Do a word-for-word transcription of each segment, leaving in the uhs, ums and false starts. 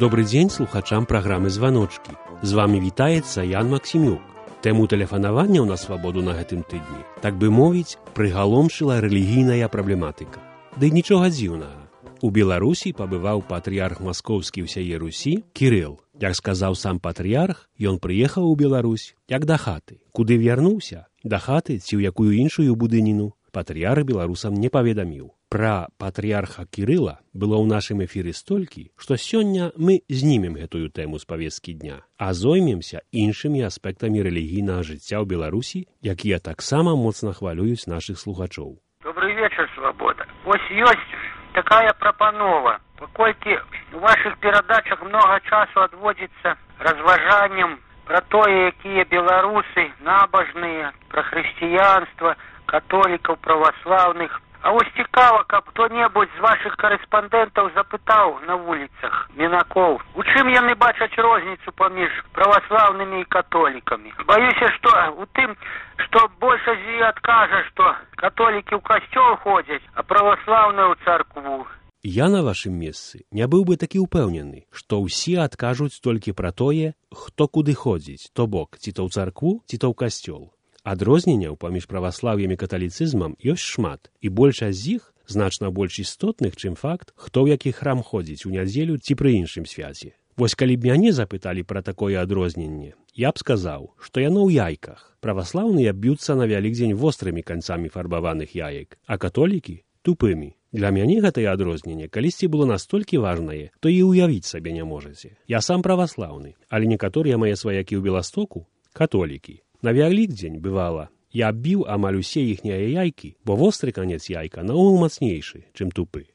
Добрый дзень слухачам праграмы «Званочкі». З вами вітаецца Ян Максімюк. Тэму тэлефанавання ў нас свабоду на гэтым тыдні, так бы мовіць, прыгаломшыла рэлігійная праблематыка. Ды нічога дзіўнага. У Беларусі пабываў патрыярх маскоўскі ўсяе Русі Кірыл. Як сказаў сам патрыярх, ён прыехаў у Беларусь як да хаты. Куды вярнуўся? Да хаты ці ў якую іншую будыніну? Патрыярх беларусам не паведаміў. Пра патрыярха Кірыла было ў нашым эфіры столькі, што сёння мы знімем гэтую тэму з павесткі дня, а зоймемся іншымі аспектамі рэлігійнага жыцця ў Беларусі, якія таксама моцна хвалююць нашых слухачоў. Добрый вечер, Свобода. Вось ёсць такая прапанова. Паколькі у вашых перадачах многа часу адводзіцца разважанням пра тое, якія беларусы набажныя, пра хрысціянства, католікаў, праваслаўных. А вось цікава, каб хто-небудзь з вашых карэспандэнтаў запытаў на вуліцах мінакоў, у чым яны бачаць розніцу паміж праваслаўнымі і католікамі. Баюся, што у тым, што большасць з іх адкажа, што католікі ў касцёл ходзяць, а праваслаўныя ў царкву. Я на вашым месцы не быў бы такі ўпэўнены, што ўсе адкажуць толькі пра тое, хто куды ходзіць, то бок, ці то ў царкву, ці то ў касцёл. Адрозненняў паміж праваслаўем і каталіцызмам ёсць шмат, і большасць з іх значна больш істотных, чым факт, хто ў які храм ходзіць у нядзелю ці пры іншым свяце. Вось калі б мяне запыталі пра такое адрозненне, я б сказаў, што яно ў яйках. Праваслаўныя б'юцца на Вялікдзень вострымі канцамі фарбаваных яек, а католікі — тупымі. Для мяне гэтае адрозненне калісьці было настолькі важнае, то і ўявіць сабе не можаце. Я сам праваслаўны, але некаторыя мае сваякі ў Беластоку — католікі. На Вялікдзень, бывала, я аббіў амаль усе іхнія яйкі, бо востры канец яйка наогул мацнейшы, чым тупы.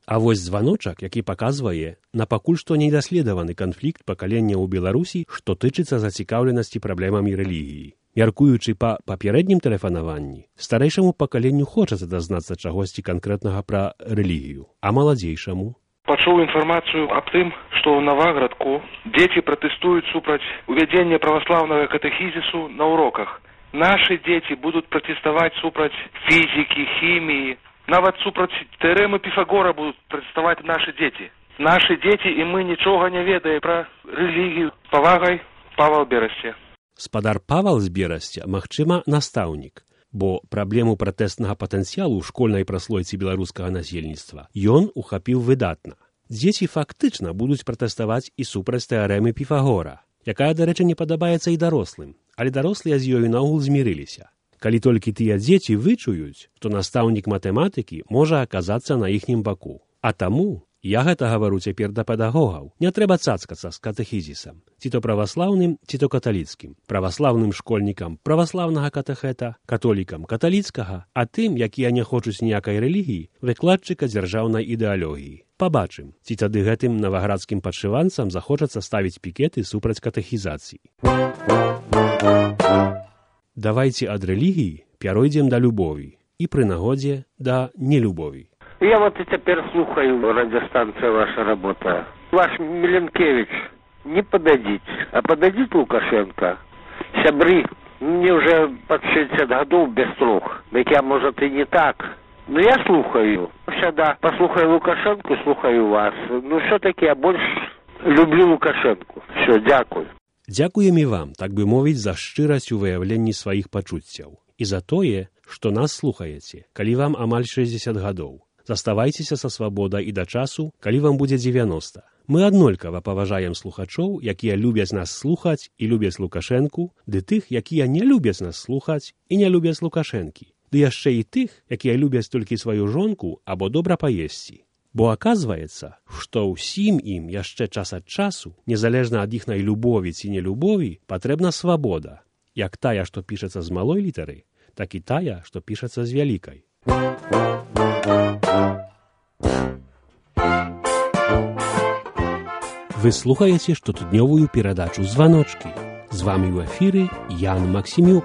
А вось званочак, які паказвае на пакуль што недаследаваны канфлікт пакалення ў Беларусі, што тычыцца зацікаўленасці праблемамі рэлігіі. Мяркуючы па папярэднім тэлефанаванні, старэйшаму пакаленню хочацца дазнацца чагосьці канкрэтнага пра рэлігію, а маладзейшаму пачуў інфармацыю аб тым, што ў Наваградку дзеці пратэстуюць супраць увядзення праваслаўнага катэхізісу на уроках. Нашы дзеці будуць пратэставаць супраць фізікі, хіміі, нават супраць тэарэмы Піфагора будуць пратэставаць нашы дзеці. Нашы дзеці і мы нічога не ведаем пра рэлігію. Павагай, Павал Берасце. Спадар Павал з Берасця, магчыма, настаўнік, бо праблему пратэстнага патэнцыялу ў школьнай праслойцы беларускага насельніцтва ён ухапіў выдатна. Дзеці фактычна будуць пратэставаць і супраць тэарэмы Піфагора, якая, дарэчы, не падабаецца і дарослым, але дарослыя з ёю наогул змірыліся. Калі толькі тыя дзеці вычуюць, то настаўнік матэматыкі можа аказацца на іхнім баку. А таму я гэта гавару цяпер да педагогаў. Не трэба цацкацца з катэхізісам, ці то праваслаўным, ці то каталіцкім. Праваслаўным школьнікам праваслаўнага катэхета, католікам каталіцкага, а тым, якія не хочуць ніякай рэлігіі, выкладчыка дзяржаўнай ідэалогіі. Пабачым, ці тады гэтым наваградскім падшыванцам захочацца ставіць пікеты супраць катэхізацыі. Давайце ад рэлігіі пяройдзем да любові і пры нагодзе да нелюбові. Я вот и теперь слухаю, радиостанция ваша работа. Ваш Миленкевич, не подадите, а подадите Лукашенко. Сябры, мне уже под шестьдесят годов без слух. Так я, может, и не так. Но я слухаю. Всегда послухаю Лукашенко, слухаю вас. Ну, все-таки я больше люблю Лукашенко. Все, дякую. Дзякуем і вам, так бы мовіць, за шчырасць у выяўленні сваіх пачуццяў. І за тое, што нас слухаеце, калі вам амаль шэсцьдзесят гадоў. Заставайцеся са свабодай і да часу, калі вам будзе дзевяноста. Мы аднолькава паважаем слухачоў, якія любяць нас слухаць і любяць Лукашэнку, ды тых, якія не любяць нас слухаць і не любяць Лукашэнкі, ды яшчэ і тых, якія любяць толькі сваю жонку або добра паесці. Бо аказваецца, што ўсім ім яшчэ час ад часу, незалежна ад іхнай любові ці нелюбові, патрэбна свабода, як тая, што пішацца з малой літары, так і тая, што пішацца з вялікай. Вы слухаеце штотыднёвую перадачу «Званочкі». З вамі ў эфіры Ян Максімюк.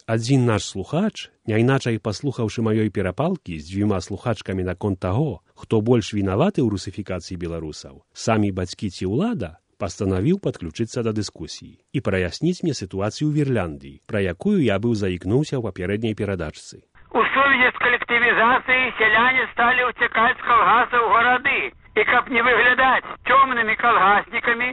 Адзін наш слухач, няйначай паслухаўшы маёй перапалкі з дзвюма слухачкамі наконт таго, хто больш вінаваты ў русіфікацыі беларусаў, самі бацькі ці ўлада, пастанавіў падключыцца да дыскусіі і праясніць мне сітуацыю ў Вірляндыі, пра якую я быў заікнуўся ў папярэдняй перадачцы. У сувязі з калектывізацыяй сяляне сталі ўцякаць з калгасаў у гарады. І каб не выглядаць цёмнымі калгаснікамі,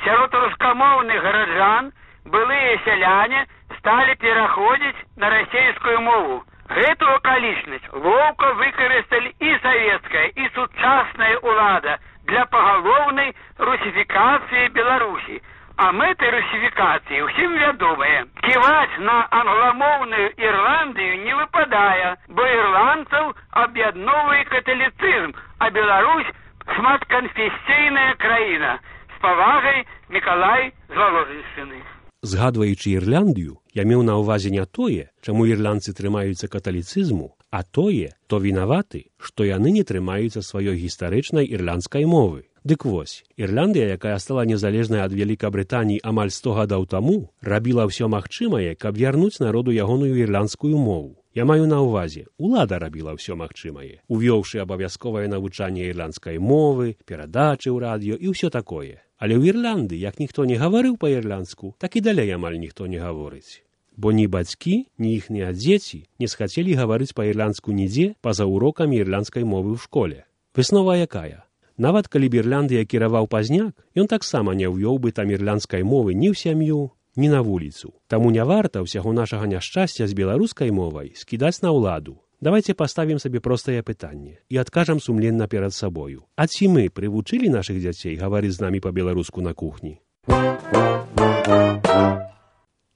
сярод рускамоўных гараджан былыя сяляне сталі пераходзіць на расейскую мову. Гэту акалічнасць лоўка выкарысталі і савецкая, і сучасная ўлада для пагалоўнай русіфікацыі Беларусі. А мэты русіфікацыі ўсім вядомыя. Ківаць на англамоўную Ірландыю не выпадае, бо ірландцаў аб'ядноўвае каталіцызм, а Беларусь шматканфесійная краіна. З павагай, Мікалай з Воложеншчыны. Згадваючы Ірландыю, я меў на ўвазе не тое, чаму ірландцы трымаюцца каталіцызму, а тое, то вінаваты, што яны не трымаюцца сваёй гістарычнай ірландскай мовы. Дык вось, Ірландыя, якая стала незалежнай ад Вялікабрытаніі амаль сто гадоў таму, рабіла ўсё магчымае, каб вярнуць народу ягоную ірландскую мову. Я маю на ўвазе, улада рабіла ўсё магчымае, увёўшы абавязковае навучанне ірландскай мовы, перадачы ў радыё і ўсё такое. Але ў Ірланды, як ніхто не гаварыў па-ірландску, так і далей амаль ніхто не гаворыць. Бо ні бацькі, ні іхныя дзеці не схацелі гаварыць па-ірландску нідзе па-за урокамі ірландскай мовы ў школе. Выснова якая? Нават калі б Ірландыя кіраваў пазняк, ён таксама не ўвёў бы там ірландскай мовы ні ў сям'ю, ні на вуліцу. Таму не варта ўсяго нашага няшчасця з беларускай мовай скідаць на ўладу. Давайте паставім сабе простае пытанне і адкажам сумленна перад сабою. А ці мы прывучылі нашых дзяцей гаварыць з намі па-беларуску на кухні?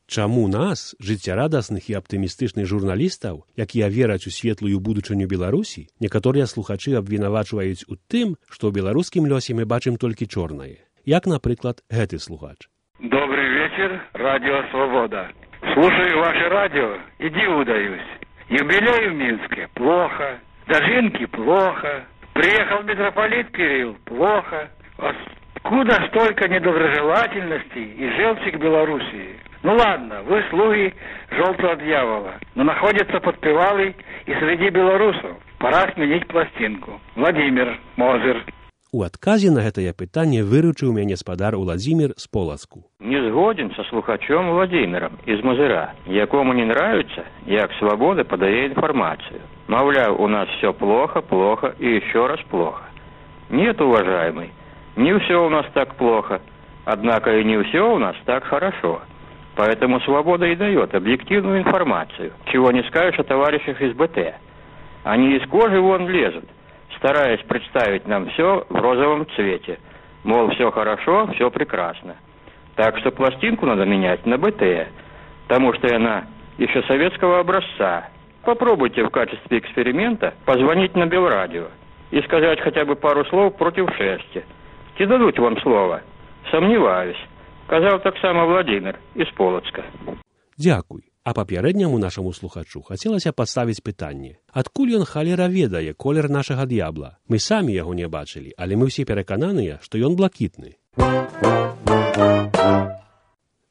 Чаму нас, жыццярадасных і аптымістычных журналістаў, якія вераць у светлую будучыню Беларусі, некаторыя слухачы абвінавачваюць у тым, што ў беларускім лёсе мы бачым толькі чорнае. Як, напрыклад, гэты слухач. Добрый вечер, радио «Свобода». Слушаю ваше радио и диву даюсь. Юбилей в Минске – плохо. Дожинки – плохо. Приехал митрополит Кирилл – плохо. Откуда столько недоброжелательности и желчи к Белоруссии? Ну ладно, вы слуги желтого дьявола, но находится подпевалый и среди белорусов. Пора сменить пластинку. Владимир Мозыр. У адказе на гэтае пытанне выручыў мяне спадар Уладзімір з Полацку. Не згоден со слухачом Владимиром из Мозыра, якому не нравится, як Свобода подае информацию. Мовляв, у нас все плохо, плохо и еще раз плохо. Нет, уважаемый, не все у нас так плохо, однако и не все у нас так хорошо. Поэтому Свобода и дает объективную информацию, чего не скажешь о товарищах из БТ. Они из кожи вон лезут, стараясь представить нам все в розовом цвете. Мол, все хорошо, все прекрасно. Так что пластинку надо менять на БТ, потому что она еще советского образца. Попробуйте в качестве эксперимента позвонить на Белрадио и сказать хотя бы пару слов против шерсти. Те дадут вам слово? Сомневаюсь. Казав так само Владимир из Полацка. Дзякуй. А папярэдняму нашаму слухачу хацелася паставіць пытанне. Адкуль ён халера ведае колер нашага д'ябла? Мы самі яго не бачылі, але мы ўсе перакананыя, што ён блакітны.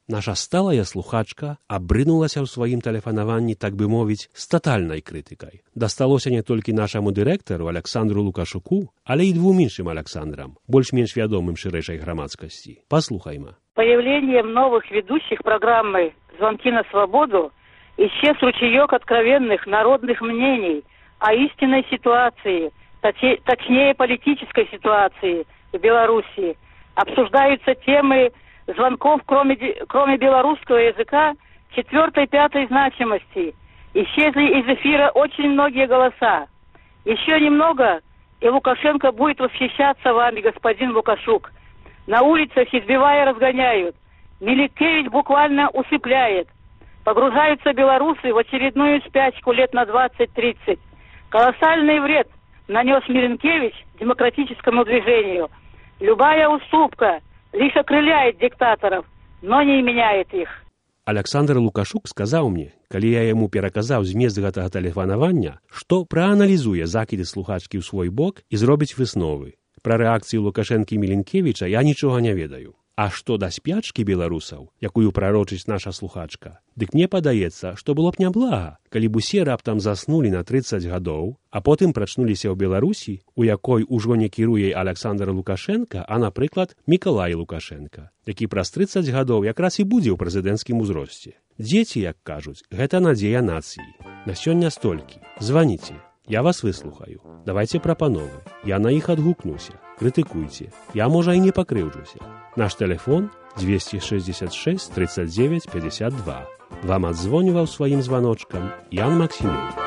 Наша сталая слухачка абрынулася ў сваім тэлефанаванні, так бы мовіць, з татальнай крытыкай. Дасталося не толькі нашаму дырэктару Александру Лукашуку, але і двум іншым Александрам, больш-менш вядомым шырэйшай грамадскасці. Паслухайма. Появлением новых ведущих программы «Звонки на свободу» исчез ручеек откровенных народных мнений о истинной ситуации, точнее политической ситуации в Беларуси. Обсуждаются темы звонков, кроме, кроме белорусского языка, четвертой, пятой значимости. Исчезли из эфира очень многие голоса. Еще немного, и Лукашенко будет восхищаться вами, господин Лукашук. На улицах, избивая, разгоняют. Милинкевич буквально усыпляет. Погружаются белорусы в очередную спячку лет на двадцать-тридцать. Колоссальный вред нанес Милинкевич демократическому движению. Любая уступка лишь окрыляет диктаторов, но не меняет их. Александр Лукашук сказаў мне, калі я яму пераказаў змест гэтага тэлефанавання, што прааналізуе закіды слухачкі ў свой бок і зробіць высновы. Пра рэакцыю Лукашэнкі Мілінкевіча я нічога не ведаю. А што да спячкі беларусаў, якую прарочыць наша слухачка, дык мне падаецца, што было б няблага, калі б усе раптам заснулі на трыццаць гадоў, а потым прачнуліся ў Беларусі, у якой ужо не кіруе Александр Лукашенка, а, напрыклад, Мікалай Лукашенка, які праз трыццаць гадоў якраз і будзе ў прэзідэнцкім узросце. Дзеці, як кажуць, гэта надзея нацыі. На сёння столькі. Званіце. Я вас выслухаю. Давайце прапановы. Я на іх адгукнуся. Крытыкуйце. Я, можа, і не пакрыўджуся. Наш тэлефон двести шестьдесят шесть тридцать девять пятьдесят два. Вам адзвоніваў сваім званочкам Ян Максімович.